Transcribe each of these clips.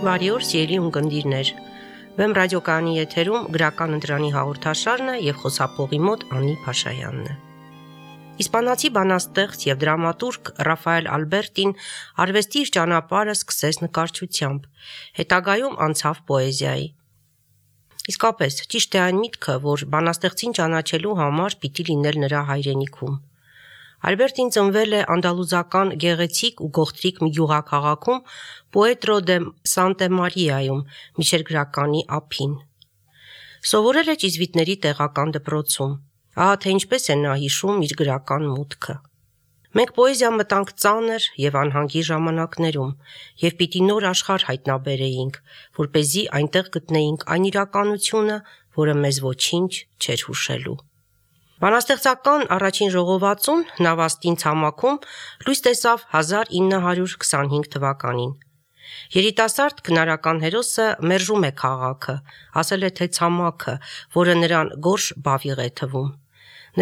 Բարի օր, սիրելի ունկնդիրներ։ Վեմ ռադիոկայանի եթերում գրական ընտրանի հաղորդաշարն է եւ խոսափողի մոտ Անի Փաշայանն է։ Իսպանացի բանաստեղծ եւ դրամատուրգ Ռաֆայել Ալբերտին արվեստի իր ճանապարհը սկսեց նկարչությամբ, հետագայում անցավ պոեզիայի։ Իսկապես, ճիշտ է այն միտքը, որ բանաստեղծին ճանաչելու համար պիտի լինել նրա հայրենիքում։ Ալբերտին ծնվել է անդալուզական գեղեցիկ ու գողտրիկ մի գյուղաքաղաքում Պուետրո դե Սանտե Մարիայում, միջերգրականի ափին։ Սովորել է ճիզվիտների տեղական դպրոցում։ Ահա թե ինչպես է նա հիշում իր գրական մուտքը։ Մենք պոեզիա մտանք ծանր եւ անհանգի ժամանակներում եւ պիտի նոր աշխարհ հայտնաբերեինք, որպեսզի այնտեղ գտնեինք այն իրականությունը, որը մեզ ոչինչ չէր հուշելու։ Բանաստեղծական առաջին ժողովածուն Նավաստին ցամաքում լույս տեսավ 1925 թվականին։ Երիտասարդ քնարական հերոսը մերժում է քաղաքը, ասել է թե ցամաքը, որը նրան գորշ բավիղ է թվում։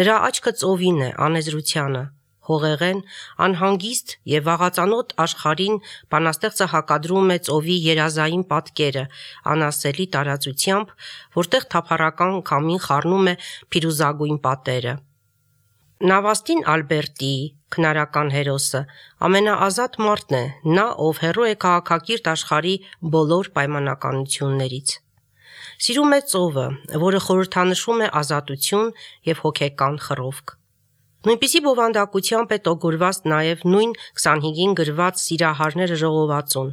Նրա աչքը ծովին է, անեզրությանը, հողեղեն, անհանգիստ եւ վաղածանոթ աշխարհին բանաստեղծը հակադրում է ծովի երազային պատկերը, անասելի տարածությամբ, որտեղ թափառական քամին խառնում է փիրուզագույն պատերը։ Նավաստին Ալբերտի քնարական հերոսը ամենաազատ մարդն է, նա ով հեռու է քաղաքակիրթ աշխարհի բոլոր պայմանականություններից։ Սիրում է ծովը, որը խորհրդանշում է ազատություն եւ հոգեկան խռովք։ Նույնպիսի բովանդակությամբ է տոգորված նաև նույն 25-ին գրված Սիրահարները ժողովածուն։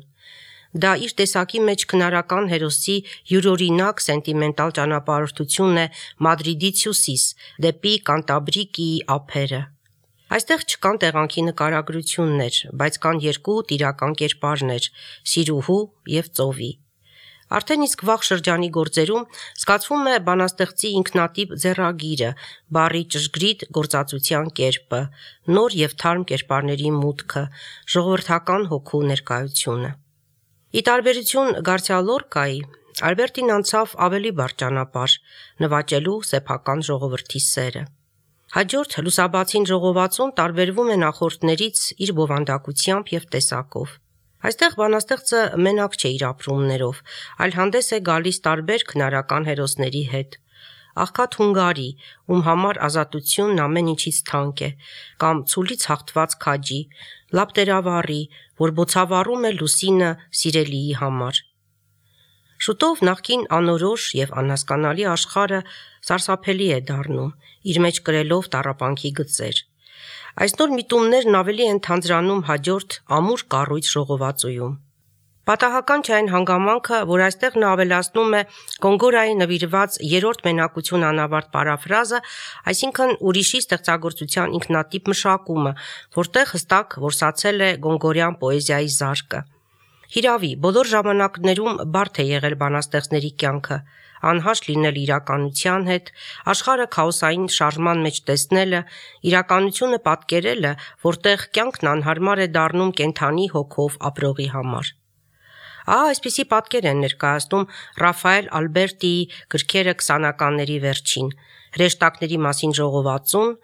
Դա իր տեսակի մեջ քնարական հերոսի յուրօրինակ սենտիմենտալ ճանապարհորդությունն է Մադրիդից հյուսիս, դեպի Կանտաբրիկիի ափերը։ Այստեղ չկան տեղանքի նկարագրություններ, բայց կան երկու տիրական կերպարներ՝ Սիրուհու եւ ծովի։ Արդեն իսկ վաղ շրջանի գործերում զգացվում է բանաստեղծի ինքնատիպ ձեռագիրը, բառի ճշգրիտ գործածության կերպը, նոր եւ թարմ կերպարների մուտքը, ժողովրդական հոգու ներկայությունը։ Ի տարբերություն Գարսիա Լորկայի, Ալբերտին անցավ ավելի բարդ ճանապարհ՝ նվաճելու սեփական ժողովրդի սերը։ Հաջորդ լուսաբացին ժողովածուն տարբերվում է նախորդներից իր բովանդակությամբ եւ տեսակով։ Այստեղ բանաստեղծը մենակ չէ իր ապրումներով, այլ հանդես է գալիս տարբեր քնարական հերոսների հետ։ Աղքատ հունգարի, ում համար ազատությունն ամեն ինչից թանկ է, կամ ցուլից հաղթված քաջի, լապտերավառի, որ բոցավառում է լուսինը սիրելիի համար։ Շուտով նախկին անորոշ եւ անհասկանալի աշխարհը սարսափելի է դառնում, իր մեջ կրելով տառապանքի գծեր։ Այս նոր միտումներն ավելի են թանձրանում հաջորդ ամուր կառույց ժողովածույում։ Պատահական չէ այն հանգամանքը, որ այստեղ նա ավելացնում է Գոնգորայի նվիրված երրորդ մենակություն անավարտ պարաֆրազը, այսինքն ուրիշի ստեղծագործության ինքնատիպ մշակումը, որտեղ հստակ որսացել է գոնգորյան պոեզիայի զարկը։ Հիրավի, բոլոր ժամանակներում բարդ է եղել բանաստեղծների կյանքը, անհաշտ լինել իրականության հետ, աշխարհը քաոսային շարժման մեջ տեսնելը, իրականությունը պատկերելը, որտեղ կյանքն անհարմար է դառնում կենդանի հոգով ապրողի համար։ Այսպիսի պատկեր են ներկայացնում Ռաֆայել Ալբերտիի գրքերը 20-ականների վերջին, հրեշտակների մասին ժողովածուն,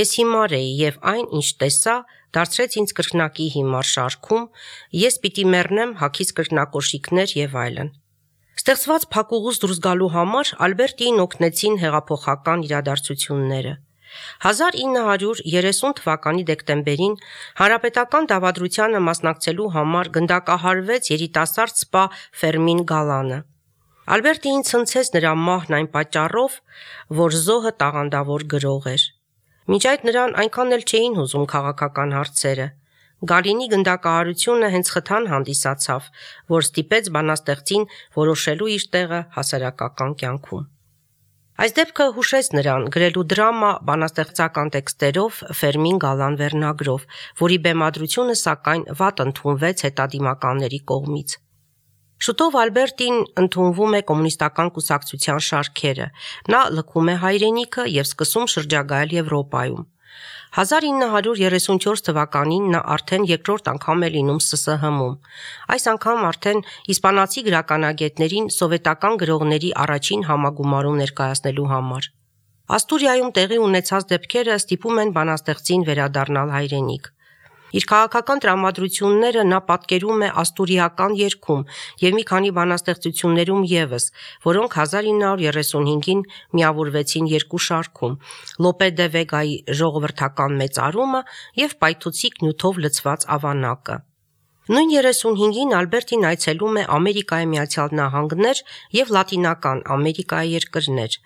Ես հիմար էի եւ այն, ինչ տեսա, դարձրեց ինձ կրկնակի հիմար շարքում, Ես պիտի մեռնեմ հագիս կրկնակոշիկներ եւ այլն։ Ստեղծված փակուղուց դուրս գալու համար Ալբերտիին օգնեցին հեղափոխական իրադարձությունները։ 1930 թվականի դեկտեմբերին հանրապետական դավադրությանը մասնակցելու համար գնդակահարվեց երիտասարդ սպա Ֆերմին Գալանը։ Ալբերտիին ցնցեց նրա մահն այն պատճառով, որ զոհը տաղանդավոր գրող էր։ Մինչ այդ նրան այնքան էլ չէին հուզում քաղաքական հարցերը։ Գալինի գնդակահարությունը հենց խթան հանդիսացավ, որ ստիպեց բանաստեղծին որոշելու իր տեղը հասարակական կյանքում։ Այս դեպքը հուշեց նրան գրելու դրամա բանաստեղծական տեքստերով Ֆերմին Գալան վերնագրով, որի բեմադրությունը սակայն վատ ընդունվեց հետադիմականների կողմից։ Շուտով Ալբերտին ընդունվում է կոմունիստական կուսակցության շարքերը, նա լքում է հայրենիքը եւ սկսում շրջագայել Եվրոպայում։ 1934 թվականին նա արդեն երկրորդ անգամ է լինում ՍՍՀՄ-ում։ Այս անգամ արդեն իսպանացի գրականագետներին սովետական գրողների առաջին համագումարում ներկայացնելու համար։ Աստուրիայում տեղի ունեցած դեպքերը ստիպում են բանաստեղծին վերադառնալ հայրենիք։ Իր քաղաքական տրամադրությունները նա պատկերում է աստուրիական երգում եւ մի քանի բանաստեղծություններում եւս, որոնք 1935-ին միավորվեցին երկու շարքում՝ Լոպե դե Վեգայի ժողովրդական մեծարումը եւ պայթուցիկ նյութով լցված ավանակը։ Նույն 35-ին Ալբերտին այցելում է Ամերիկայի Միացյալ Նահանգներ եւ Լատինական Ամերիկայի երկրներ։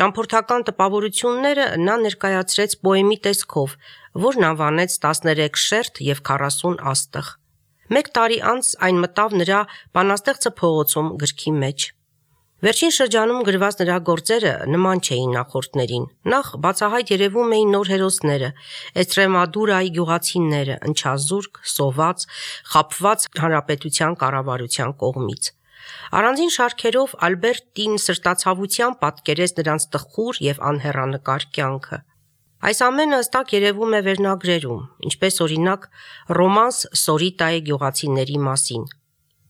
Ճամփորդական տպավորությունները նա ներկայացրեց պոեմի տեսքով, որն անվանեց 13 շերտ եւ 40 աստղ։ Մեկ տարի անց այն մտավ նրա «Բանաստեղծը փողոցում» գրքի մեջ։ Վերջին շրջանում գրված նրա գործերը նման չէին նախորդներին։ Նախ բացահայտ երևում էին նոր հերոսները՝ Էստրեմադուրայի գյուղացիները, ընչազուրկ, սոված, խաբված հանրապետության կառավարության կողմից։ Առանձին շարքերով Ալբերտին սրտացավությամբ պատկերեց նրանց տխուր եւ անհեռանկար կյանքը։ Այս ամենը հստակ երևում է վերնագրերում, ինչպես օրինակ «Ռոմանս Սորիտայի գյուղացիների մասին»։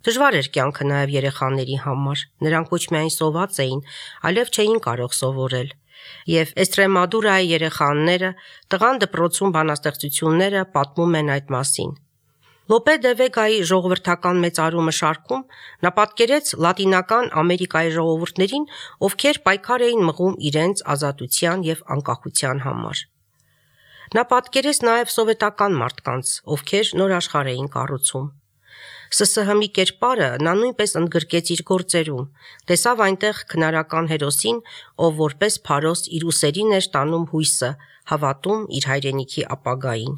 Դժվար էր կյանքը նաև երեխաների համար, նրանք ոչ միայն սոված էին, այլև չէին կարող սովորել, եւ Էստրեմադուրայի երեխաները տղան դպրոցում բանաստեղծությունները պատմում են այդ մասին։ Լոպե դե Վեգայի ժողովրդական մեծարումը շարքում նա պատկերեց Լատինական Ամերիկայի ժողովուրդներին, ովքեր պայքար էին մղում իրենց ազատության եւ անկախության համար։ Նա պատկերեց նաև սովետական մարդկանց, ովքեր նոր աշխարհ էին կառուցում։ ՍՍՀ-ի կերպարը նա նույնպես ընդգրկեց իր գործերում, տեսավ այնտեղ քնարական հերոսին, ով որպես փարոս իր ուսերին էր տանում հույսը, հավատում իր հայրենիքի ապագային։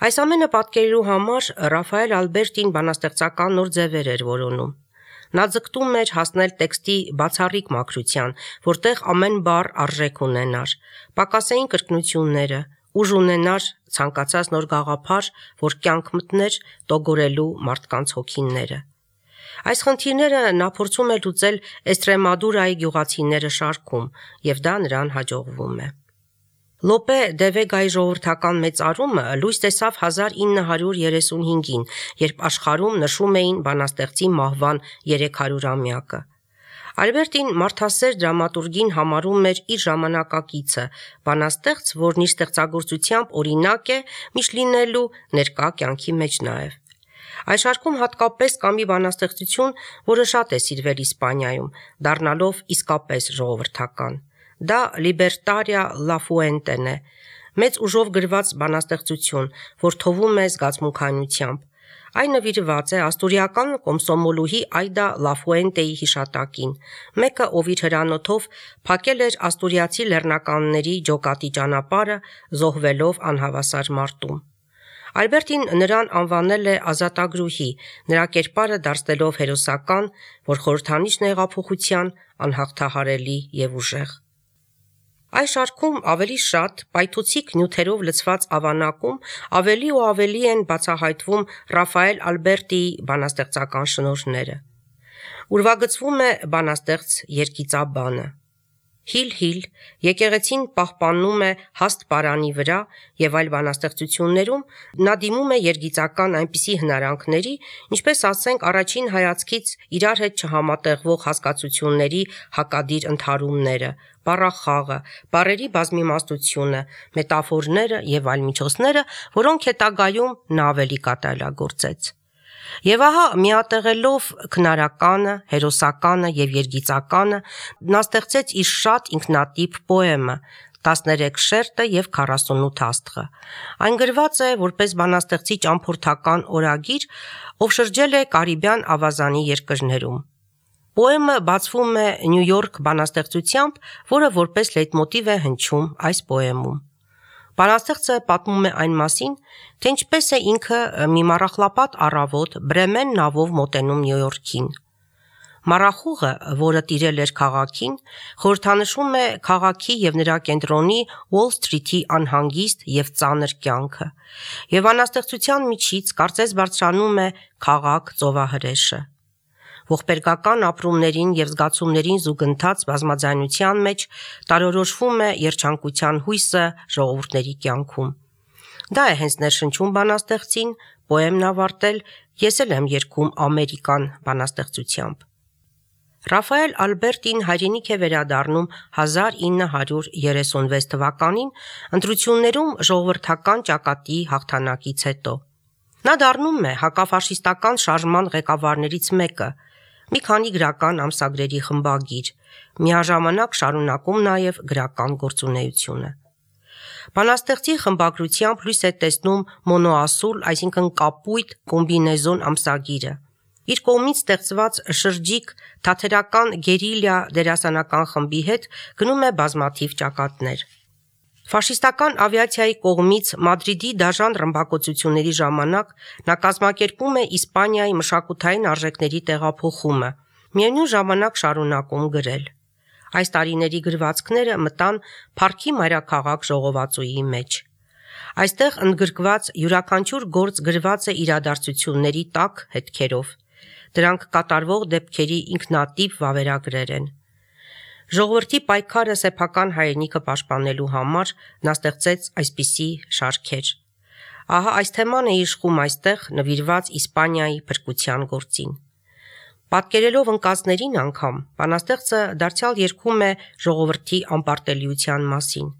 Այս ամենը պատկերելու համար Ռաֆայել Ալբերտին բանաստեղծական նոր ձևեր էր որոնում։ Նա ձգտում էր հասնել տեքստի բացառիկ մաքրության, որտեղ ամեն բառ արժեք ունենար, պակասեին կրկնությունները, ուժ ունենար ցանկացած նոր գաղափար, որ կյանք մտներ տոգորելու մարդկանց հոգիները։ Այս խնդիրները նա փորձում է լուծել Էստրեմադուրայի գյուղացիները շարքում, եւ դա նրան հաջողվում է։ Լոպե դե Վեգայի ժողովրդական մեծարումը լույս տեսավ 1935-ին, երբ աշխարհում նշում էին բանաստեղծի մահվան 300-ամյակը։ Ալբերտին մարդասեր դրամատուրգին համարում էր իր ժամանակակիցը, բանաստեղծ, որն իր ստեղծագործությամբ օրինակ է միշտ լինելու ներկա կյանքի մեջ նաև։ Այս շարքում հատկապես կա մի բանաստեղծություն, որը շատ է սիրվել Իսպանիայում, դառնալով իսկապես ժողովրդական։ Դա Լիբերտարիա Լաֆուենտեն է, մեծ ուժով գրված բանաստեղծություն, որ թովում է զգացմունքայնությամբ։ Այն նվիրված է աստուրիական կոմսոմոլուհի Այդա Լաֆուենտեի հիշատակին, մեկը, ով իր հրանոթով փակել էր աստուրիացի լեռնականների ջոկատի ճանապարհը, զոհվելով անհավասար մարտում։ Ալբերտին նրան անվանել է ազատագրուհի, նրա կերպարը դարձնելով հերոսական, որ խորհրդանիշն է հեղափոխության, անհաղթահարելի եւ ուժեղ։ Այս շարքում ավելի շատ պայթուցիկ նյութերով լցված ավանակում ավելի ու ավելի են բացահայտվում Ռաֆայել Ալբերտիի բանաստեղծական շնորհները։ Ուրվագծվում է բանաստեղծ երգիծաբանը։ Հիլ, եկեղեցին պահպանում է հաստ պարանի վրա եւ այլ բանաստեղծություններում նա դիմում է երգիծական այնպիսի հնարանքների, ինչպես ասենք առաջին հայացքից իրար հետ չհամատեղվող հասկացությունների հակադիր ընդհարումները, բառախաղը, բառերի բազմիմաստությունը, մետաֆորները եւ այլ միջոցները, որոնք հետագայում նա ավելի կատարելագործեց։ Եվ ահա միատեղելով քնարականը, հերոսականը եւ երգիծականը նա ստեղծեց իր շատ ինքնատիպ պոեմը 13 շերտը եւ 48 աստղը։ Այն գրված է որպես բանաստեղծի ճամփորդական օրագիր, ով շրջել է Կարիբյան ավազանի երկրներում։ Պոեմը բացվում է Նյու Յորք բանաստեղծությամբ, որը որպես լեյտմոտիվ է հնչում այս պոեմում։ Բանաստեղծը պատմում է այն մասին, թե ինչպես է ինքը մի մառախլապատ առավոտ Բրեմեն նավով մոտենում Նյու Յորքին։ Մառախուղը, որը տիրել էր քաղաքին, խորհրդանշում է քաղաքի եւ նրա կենտրոնի Ուոլ Սթրիթի անհանգիստ եւ ծանր կյանքը, եւ բանաստեղծության միջից կարծես բարձրանում է քաղաք ծովահրեշը։ Ողբերգական ապրումներին եւ զգացումներին զուգընթաց բազմաձայնության մեջ տարորոշվում է երջանկության հույսը ժողովուրդների կյանքում։ Դա է հենց ներշնչում բանաստեղծին, պոեմն ավարտել, ես էլ եմ երգում ամերիկան բանաստեղծությամբ։ Ռաֆայել Ալբերտին հայրենիք է վերադառնում 1936 թվականին ընտրություններում ժողովրդական ճակատի հաղթանակից հետո։ Նա դառնում է հակաֆաշիստական շարժման ղեկավարներից մեկը, մի քանի գրական ամսագրերի խմբագիր, միաժամանակ շարունակում նաև գրական գործունեությունը։ Բանաստեղծի խմբագրությամբ լույս է տեսնում մոնոասուլ, այսինքն կապույտ կոմբինեզոն ամսագիրը։ Իր կողմից ստեղծված շրջիկ թատերական գերիլիա դերասանական խմբի հետ գնում է բազմաթիվ ճակատներ։ Ֆաշիստական ավիացիայի կողմից Մադրիդի դաժան ռմբակոծությունների ժամանակ նա կազմակերպում է Իսպանիայի մշակութային արժեքների տեղափոխումը, միևնույն ժամանակ շարունակում գրել։ Այս տարիների գրվածքները մտան Փառքի մայրաքաղաք ժողովածուի մեջ։ Այստեղ ընդգրկված յուրաքանչյուր գործ գրված է իրադարձությունների տաք հետքերով։ Դրանք կատարվող դեպքերի ինքնատիպ վավերագրեր են։ Ժողովրդի պայքարը սեփական հայրենիքը պաշտպանելու համար նա ստեղծեց այսպիսի շարքեր։ Ահա այս թեման է իշխում այստեղ նվիրված Իսպանիայի փրկության գործին։ Պատկերելով ընկածներին անգամ բանաստեղծը դարձյալ երգում է ժողովրդի անպարտելիության մասին։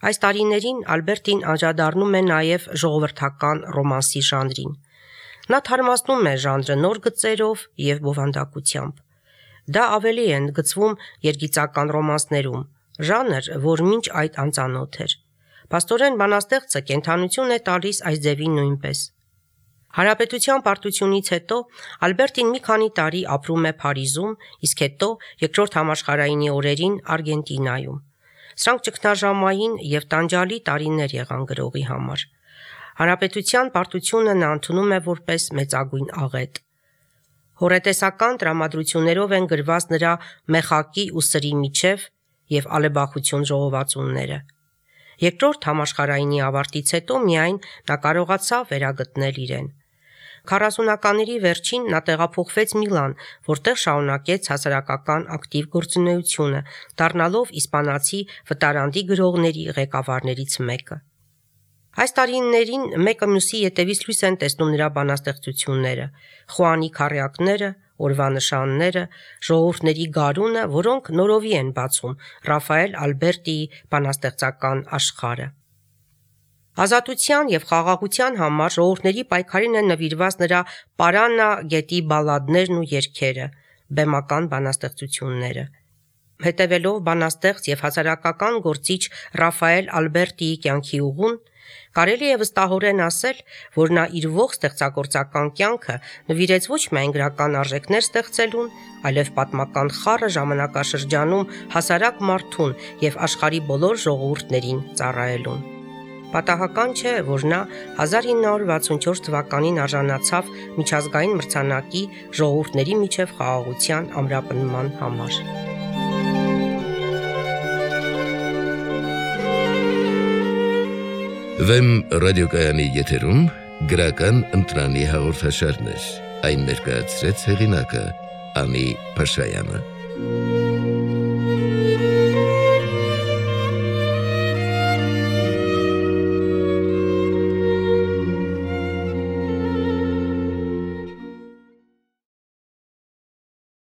Այս տարիներին Ալբերտին անդրադառնում է նաև ժողովրդական ռոմանսի ժանրին։ Նա թարմացնում է ժանրը նոր գծերով և բովանդակությամբ։ Դա ավելի է ընդգծվում երգիծական ռոմանսներում, ժանր, որ մինչ այդ անծանոթ էր։ Փաստորեն բանաստեղծը կենդանություն է տալիս այս ձևին նույնպես։ Հանրապետության պարտությունից հետո Ալբերտին մի քանի տարի ապրում է Փարիզում, իսկ հետո Երկրորդ համաշխարհայինի օրերին Արգենտինայում։ Սրանք ճգնաժամային և տանջալի տարիներ եղան գրողի համար։ Հանրապետության պարտությունը նա ընդունում է որպես մեծագույն աղետ։ Հոռետեսական տրամադրություններով են գրված նրա Մեխակի ու սրի միջև և Ալեբախություն ժողովածուները։ Երկրորդ համաշխարհայինի ավարտից հետո միայն նա կարողացավ վերագտնել իրեն։ 40-ականների վերջին նա տեղափոխվեց Միլան, որտեղ շարունակեց հասարակական ակտիվ գործունեությունը, դառնալով իսպանացի վտարանդի գրողների ղեկավարներից մեկը։ Այս տարիներին մեկը մյուսի ետևից լույս են տեսնում նրա բանաստեղծությունները՝ Խուանի քառյակները, օրվա նշանները, ժողովուրդների գարունը, որոնք նորովի են բացում Ռաֆայել Ալբերտիի բանաստեղծական աշխարհը։ Ազատության և խաղաղության համար ժողովուրդների պայքարին են նվիրված նրա Պարանա գետի բալլադներն ու երգերը, բեմական բանաստեղծությունները։ Հետևելով բանաստեղծ և հասարակական գործիչ Ռաֆայել Ալբերտիի կյանքի ուղուն, կարելի է վստահորեն ասել, որ նա իր ողջ ստեղծագործական կյանքը նվիրեց ոչ միայն գրական արժեքներ ստեղծելուն, այլև պատմական խառը ժամանակաշրջանում հասարակ մարդուն և աշխարհի բոլոր ժողովուրդներին ծառայելուն։ Պատահական չէ, որ նա 1964 թվականին արժանացավ միջազգային մրցանակի ժողովուրդների միջև խաղաղության ամրապնդման համար։ Վեմ ռադիոկայանի եթերում գրական ընտրանի հաղորդաշարներ, այն ներկայացրեց հեղինակը Անի Փաշայանը։